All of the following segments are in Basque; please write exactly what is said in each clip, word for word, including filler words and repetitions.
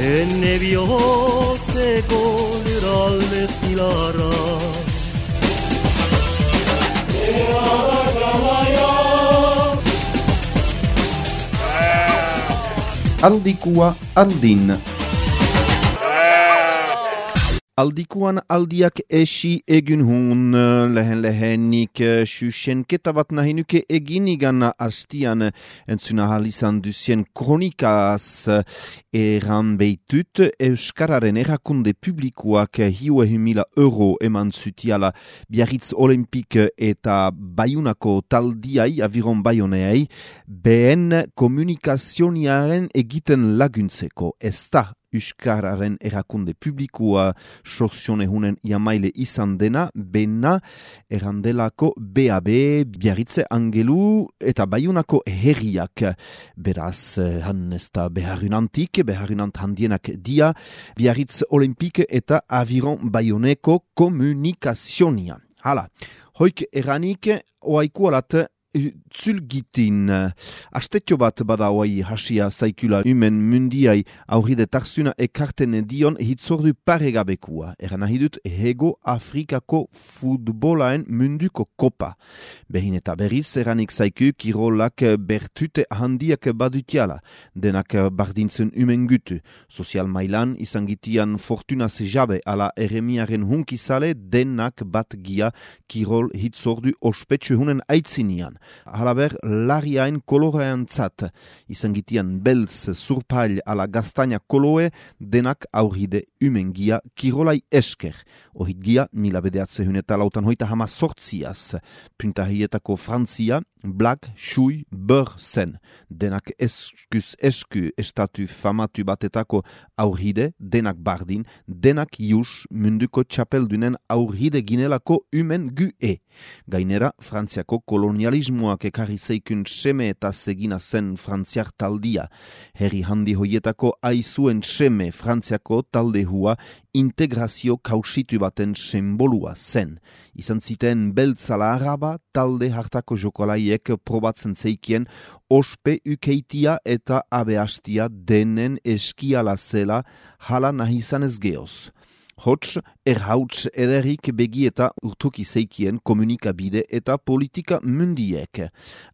Enne bihotzeko liral bezilara Aldikua aldin. Aldikuan aldiak esi egin hun lehen lehenik susenketa bat nahi nuke egin igan hastian entzuna halizan duzien kronikaz eran beitut Euskararen erakunde publikoak hiu mila euro eman zutiala Biarritz Olimpik eta Baiunako taldiai aviron Baioneai behen komunikazioniaren egiten laguntzeko ez da Euskararen erakunde publikoa sorsionehunen jamaile izan dena, bena erandelako B A B, Biarritze Angelu eta Baiunako herriak. Beraz, han ez da beharunantik, beharunant handienak dia, Biarritz Olimpik eta Aviron Baioneko komunikazionia. Hala, hoik eranik oaikualat Zulgitin, astetio bat bada oai hasia zaikula humen mundiai aurride tarzuna ekarten dion hitzordu paregabekua. Eran ahidut Hego Afrikako futbolaen munduko kopa. Behin eta berriz eranik zaiku kirolak bertute handiak badutiala. Denak bardintzen humen gutu. Sozial mailan izangitian fortuna sejabe ala eremiaren hunkizale denak bat gia kirol hitzordu ospetsu hunen aitzinian. Halaber, lariain kolorean zat, izangitian beltz, surpail ala gaztaina koloe, denak aurride umengia kirolai esker. Ohit gia, mila bedeatze huneta lautan hoita hama sortziaz. Puntahietako Frantzia, Black, Shui, Beur zen. Denak eskus esku estatu famatu batetako aurride, denak bardin, denak jus munduko txapeldunen aurride ginelako umen gu e. Gainera, Frantziako kolonialismoak ekarri zeikun seme eta segina zen frantziar taldia. Herri handi hoietako aizuen seme Frantziako taldehua integrazio kausitu baten sembolua zen. Izan ziten beltzala araba talde hartako jokolaiek probatzen zeikien ospe ukeitia eta abeastia denen eskiala zela hala nahi izanez geoz. Hots, erhauts ederik begi eta urtuki zeikien komunikabide eta politika mundiek.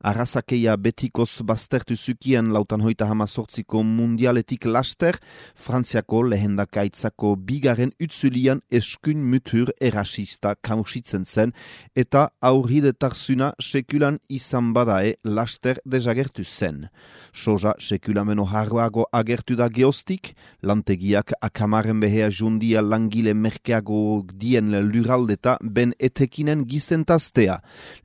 Arrazakeia betikoz baztertu zukien lautan hoita hama sortziko mundialetik laster, Frantziako lehendakaitzako bigaren utzulian eskun mutur erasista kausitzen zen eta aurride tarzuna sekulan izan badae laster desagertu zen. Soja sekulameno harroago agertu da geostik, lantegiak akamaren behea jundia lang gile merkeago dien luraldeta ben etekinen gizentaztea,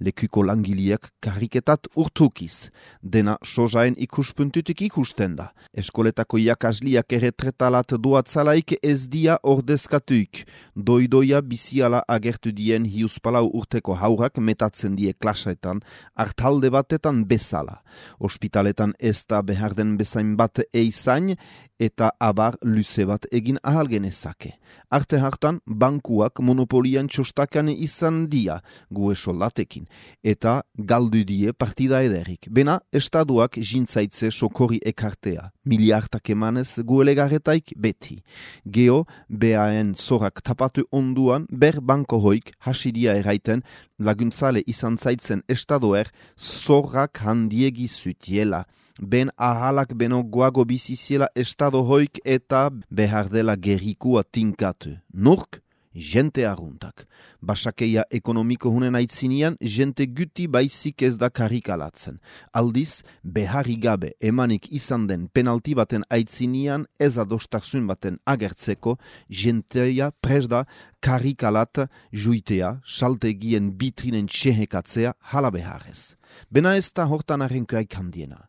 lekuko langiliak kariketat urtukiz. Dena sojaen ikuspuntutik ikusten da. Eskoletako jakasliak erretretalat doatzalaik ez dia ordezkatuik. Doidoia biziala agertu dien hiuspalau urteko haurak metatzen die klasetan, hartalde batetan bezala. Ospitaletan ez da behar den bezain bat eizain, eta abar luze bat egin ahal genezake. Arte hartan, bankuak monopolian txostakan izan dia, gue solatekin, eta galdu die partida ederik. Bena, estaduak jintzaitze sokorri ekartea, miliartak emanez guelegarretaik beti. Geo, beaen zorak tapatu onduan, ber banko hoik hasidia eraiten, laguntzale izan zaitzen estadoer zorrak handiegi zutiela. Ben ahalak beno guago biziziela estado hoik eta behar dela gerikua tinkatu. Nork? Jente arruntak. Basakeia ekonomiko hunen aitzinian, jente guti baizik ez da karikalatzen. Aldiz, beharri gabe emanik izan den penalti baten aitzinian ez adostarsun baten agertzeko, jenteia presda karikalat juitea, saltegien bitrinen txehekatzea hala beharrez. Bena ez da hortan arrenkoaik handiena.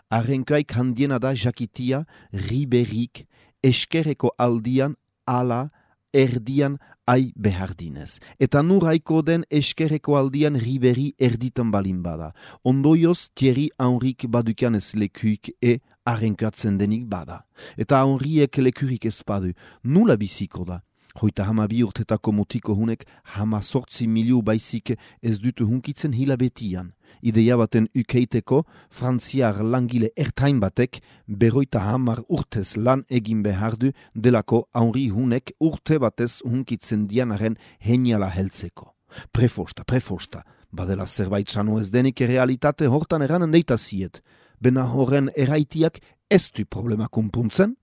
Arrenkoaik handiena da jakitia, riberik, eskerreko aldian, ala, erdian ai behardinez. Eta nuraiko den eskerreko aldian riberi erditan balin bada. Ondoioz Thierry Henrik badukanez lekuik e arrenkatzen denik bada. Eta Henriek lekurik ez badu, nula biziko da. Hoita hama bi urtetako mutiko hunek hama sortzi miliu baizik ez dutu hunkitzen hilabetian. Ideia baten ukeiteko, frantziar langile ertain batek berroita hamar urtez lan egin behar du delako Henri hunek urte batez hunkitzen dianaren heniala heltzeko. Prefosta, prefosta, badela zerbait sano ez denik realitate hortan eranen deita ziet. Bena horren eraitiak ez du problema kumpuntzen?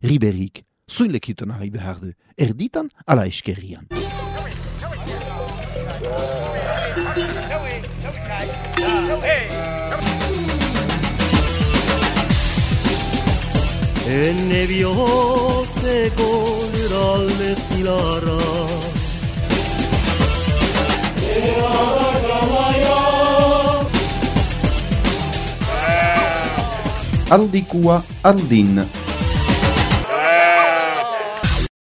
Riberik, zuin lekiten ari behar du, erditan ala eskerrian. Enne bihotzeko luralde zilarra Aldikua aldin.